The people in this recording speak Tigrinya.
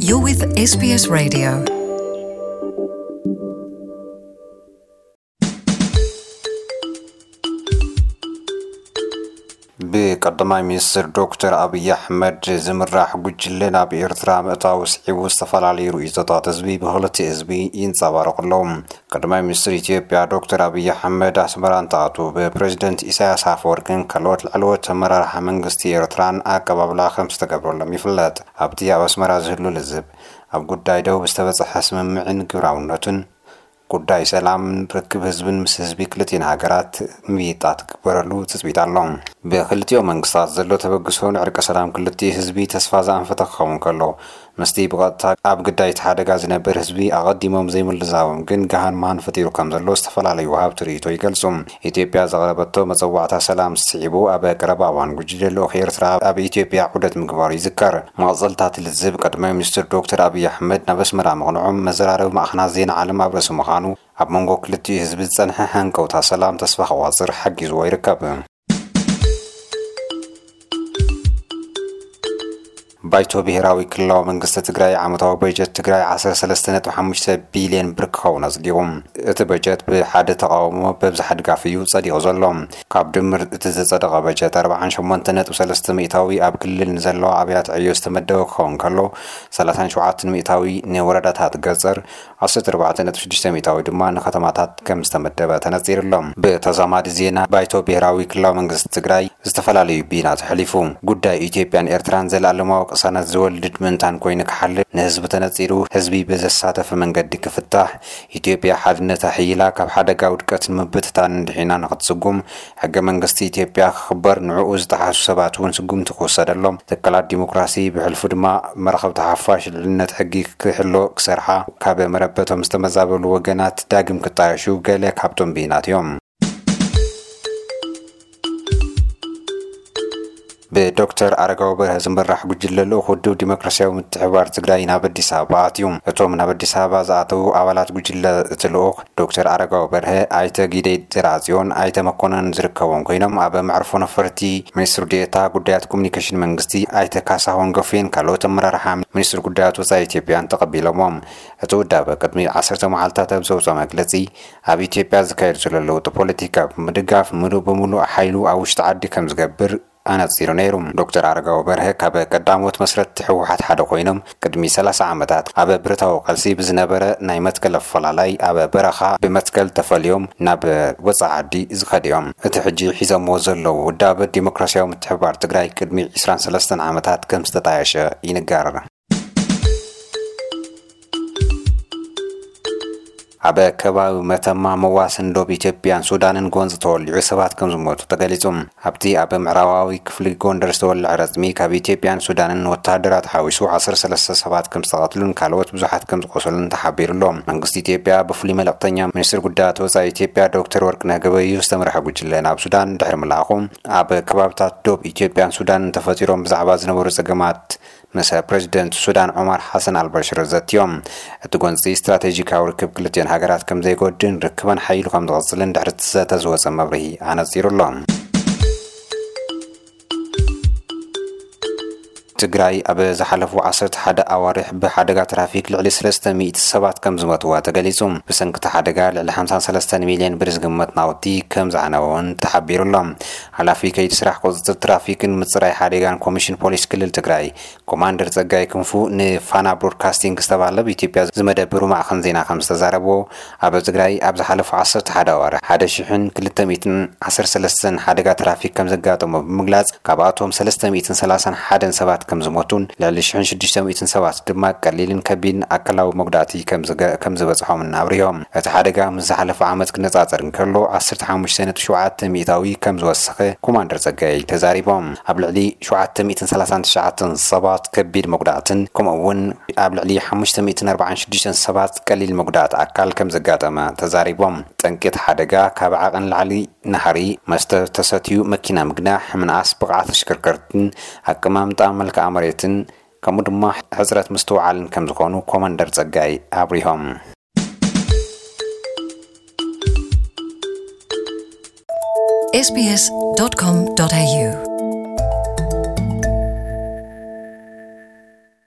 You're with S B S Radio. ብቀዳማይ ሚኒስትር ዶክተር ኣብይ ኣሕመድ ዝምራሕ ጉጅለ ናብ ኤርትራ ምእታው ስዒቡ ዝተፈላለዩ ርእይቶታት ህዝቢ ብክልቲኡ ህዝቢ ይንጸባረቑ ኣለዉ። ቀዳማይ ሚኒስትር ኢትዮጵያ ዶክተር ኣብይ ኣሕመድ ኣስመራ እንትኣትዉ ብፕሬዚደንት ኢሳያስ ኣፈወርቅን ካልኦት ላዕለዎት ኣመራርሓ መንግስቲ ኤርትራን ኣቀባብላ ከም ዝተገብረሎም ይፍለጥ። ኣብቲ ኣብ ኣስመራ ዝህሉ ልዝብ ኣብ ጉዳይ ደቡብ ዝተበጽሐ ስምምዕን ግብራውነቱን ጉዳይ ሰላምን ርክብ ህዝብን ምስ ህዝቢ ክልቲኤን ሃገራት ምይይጣት ክግበረሉ ትጽቢት ኣሎ። ብክልቲኦም መንግስታት ዘሎ ተበግሶ ንዕርቀ ሰላም ክልቲኡ ህዝቢ ተስፋ ዘኣንፈተ ክኸውን ከሎ፣ ምስቲ ብቐጥታ ኣብ ግዳይ እቲ ሓደጋ ዝነብር ህዝቢ ኣቐዲሞም ዘይምልዛቦም ግን ገሃን መሃን ፈጢሩ ከም ዘሎ ዝተፈላለዩ ወሃብቲ ርእይቶ ይገልጹ። ኢትዮጵያ ዘቕረበቶ መጸዋዕታ ሰላም ስዒቡ ኣብ ቀረባ እዋን ጉጅለ ልኡኽ ኤርትራ ኣብ ኢትዮጵያ ዑደት ምግባሩ ይዝከር። መቐጸልታ እቲ ልዝብ ቀዳማይ ሚኒስትር ዶክተር ኣብይ ኣሕመድ ናብ ኣስመራ ምቕንዖም መዘራረቢ ማዕኸናት ዜና ዓለም ኣብ ርእሲ ምዃኑ ኣብ መንጎ ክልቲኡ ህዝቢ ዝጸንሐ ሃንቀውታ ሰላም ተስፋ ክቋጽር ሓጊዝዎ ይርከብ። ባይቶ ብሄራዊ ክልላዊ መንግስቲ ትግራይ ዓመታዊ በጀት ትግራይ ዓሰርተ ሰለስተ ነጥቢ ሓሙሽተ ቢልዮን ብር ክኸውን ኣጽዲቑ። እቲ በጀት ብሓደ ተቓውሞ ብኣብዝሓ ድጋፍ እዩ ጸዲቑ ዘሎ። ካብ ድምር እቲ ዝጸደቐ በጀት ኣርባዓን ሸሞንተ ነጥቢ ሰለስተ ሚእታዊ ኣብ ክልል ንዘለዋ ኣብያተ ዕዮ ዝተመደበ ክኸውን ከሎ፣ ሰላሳን ሸውዓተን ሚእታዊ ንወረዳታት ገጸር፣ ዓሰርተ ኣርባዕተ ነጥቢ ሽዱሽተ ሚእታዊ ድማ ንከተማታት ከም ዝተመደበ ተነጺሩ ኣሎ። ብተዛማዲ ዜና፣ ባይቶ ብሄራዊ ክልላዊ መንግስቲ ትግራይ ዝተፈላለዩ ብይናት ኣሕሊፉ። ጉዳይ ኢትዮጵያን ኤርትራን ዘለኣለማዊ ቅሳነት ዝወልድ ምእንታን ኮይኑ ክሓልፍ ንህዝቢ ተነጺሩ፣ ህዝቢ ብዘሳተፈ መንገዲ ክፍታሕ፣ ኢትዮጵያ ሓድነታ ሕይላ ካብ ሓደጋ ውድቀትን ምብትታንን ድሒና ንክትስጉም፣ ሕገ መንግስቲ ኢትዮጵያ ክኽበር፣ ንዕኡ ዝጠሓሱ ሰባት እውን ስጉምቲ ክውሰደሎም፣ ትካላት ዲሞክራሲ ብሕልፉ ድማ መራኸብቲ ሓፋሽ ልዕልነት ሕጊ ክሕሎ ክሰርሓ፣ ካብ መረበቶም ዝተመዛበሉ ወገናት ዳግም ክጣየሹ ገለ ካብቶም ብይናት እዮም። ብዶክተር ኣረጋዊ በርሀ ዝምራሕ ጉጅለ ልኡኽ ውድብ ዲሞክራሲያዊ ምትሕብባር ትግራይ ናብ ኣዲስ ኣበባ ኣትዩ። እቶም ናብ ኣዲስ ኣበባ ዝኣተዉ ኣባላት ጉጅለ እቲ ልኡኽ ዶክተር ኣረጋዊ በርሀ፣ ኣይተ ጊደይ ዘርኣጽዮን፣ ኣይተ መኮነን ዝርከቦም ኮይኖም፣ ኣብ መዕርፎ ነፈርቲ ሚኒስትር ዴኤታ ጉዳያት ኮሙኒኬሽን መንግስቲ ኣይተ ካሳሁን ጎፌን ካልኦት ኣመራርሓ ሚኒስትር ጉዳያት ወጻኢ ኢትዮጵያን ተቐቢሎሞም። እቲ ውዳበ ቅድሚ ዓሰርተ መዓልታት ኣብ ዘውፅኦ መግለጺ፣ ኣብ ኢትዮጵያ ዝካየድ ዘሎ ለውጢ ፖለቲካ ብምድጋፍ ምሉእ ብምሉእ ሓይሉ ኣብ ውሽጢ ዓዲ ከም ዝገብር ኣነጺሩ ነይሩ። ዶክተር ኣረጋዊ በርሀ ካብ ቀዳሞት መስረትቲ ህወሓት ሓደ ኮይኖም፣ ቅድሚ ሰላሳ ዓመታት ኣብ ብረታዊ ቃልሲ ብዝነበረ ናይ መትከል ኣፈላላይ ኣብ በረኻ ብመትከል ተፈልዮም ናብ ወጻኢ ዓዲ ዝኸዱ እዮም። እቲ ሕጂ ሒዞምዎ ዘለዉ ውዳበ ዲሞክራሲያዊ ምትሕብባር ትግራይ ቅድሚ ዕስራን ሰለስተን ዓመታት ከም ዝተጣየሸ ይንገር። ኣብ ከባቢ መተማ መዋስን ዶብ ኢትዮጵያን ሱዳንን ጎንፂ ተወሊዑ ሰባት ከም ዝሞቱ ተገሊጹ። ኣብቲ ኣብ ምዕራባዊ ክፍሊ ጎንደር ዝተወልዐ ረጽሚ ካብ ኢትዮጵያን ሱዳንን ወተሃደራት ሓዊሱ ዓሰርተ ሰለስተ ሰባት ከም ዝተቐትሉን ካልኦት ብዙሓት ከም ዝቆሰሉን ተሓቢሩ ኣሎ። መንግስቲ ኢትዮጵያ ብፍሉይ መልእኽተኛ ሚኒስትር ጉዳያት ወጻኢ ኢትዮጵያ ዶክተር ወርቅነህ ገበየሁ ዝተመርሐ ጉጅለ ናብ ሱዳን ድሕሪ ምልኣኹ፣ ኣብ ከባብታት ዶብ ኢትዮጵያን ሱዳንን ተፈጢሮም ብዛዕባ ዝነበሩ ጸገማት ምስ ፕሬዚደንት ሱዳን ዑማር ሓሰን ኣልበሽር ዘትዮም። እቲ ጎንፂ ስትራቴጂካዊ ርክብ ክልቲኦን ሃገራት ከም ዘይጎድን ርክበን ሓይሉ ከም ዝቕፅልን ድሕሪ እቲ ዘተ ዝወፀ መብርሂ ኣነፂሩ ኣሎ። ትግራይ ኣብ ዝሓለፉ ዓሰርተ ሓደ ኣዋርሕ ብሓደጋ ትራፊክ ልዕሊ ሰለስተ ሚእቲ ሰባት ከም ዝሞትዋ ተገሊጹ። ብሰንኪ እቲ ሓደጋ ልዕሊ ሓምሳን ሰለስተን ሚልዮን ብር ዝግመት ናውቲ ከም ዝዓነወ እውን ተሓቢሩ ኣሎ። ሓላፊ ከይዲ ስራሕ ቁፅፅር ትራፊክን ምፅራይ ሓደጋን ኮሚሽን ፖሊስ ክልል ትግራይ ኮማንደር ጸጋይ ክንፉ ንፋና ብሮድካስቲንግ ዝተባህለ ኣብ ኢትዮጵያ ዝመደብሩ ማዕኸን ዜና ከም ዝተዛረቦ፣ ኣብ ትግራይ ኣብ ዝሓለፉ ዓሰርተ ሓደ ኣዋርሕ ሓደ ሽሕን ክልተ ሚእትን ዓሰርተ ሰለስተን ሓደጋ ትራፊክ ከም ዘጋጠሞ ብምግላጽ፣ ካብኣቶም ሰለስተ ሚእትን ሰላሳን ሓደን ሰባት ከም ዝሞቱን ልዕሊ ሽሕን ሽዱሽተ ሚእትን ሰባት ድማ ቀሊልን ከቢድን ኣካላዊ መጉዳእቲ ከም ዝገ-፣ ከም ዝበጽሖምን ኣብሪሆም። እቲ ሓደጋ ምስ ዝሓለፈ ዓመት ክነጻጸር እንከሎ ዓሰርተ ሓሙሽተ ነጥቢ ሸውዓተ ሚእታዊ ከም ዝወሰኸ ኮማንደር ጸጋይ ተዛሪቦም። ኣብ ልዕሊ ሸውዓተ ሚእትን ሰላሳን ትሽዓተን ሰባት ከቢድ መጉዳእትን ከምኡ እውን ኣብ ልዕሊ ሓሙሽተ ሚእትን ኣርባዓን ሽዱሽተን ሰባት ቀሊል መጉዳእቲ ኣካል ከም ዘጋጠመ ተዛሪቦም። ጠንቂ እቲ ሓደጋ ካብ ዓቐን ላዕሊ ናህሪ፣ መስተ ተሰትዩ መኪና ምግናሕ፣ ምንኣስ ብቕዓት ተሽከርከርትን ኣቀማምጣ መልክዓ መሬትን ከምኡ ድማ ሕፅረት ምስትውዓልን ከም ዝኾኑ ኮማንደር ጸጋይ ኣብሪሆም። S B S dot com dot A U.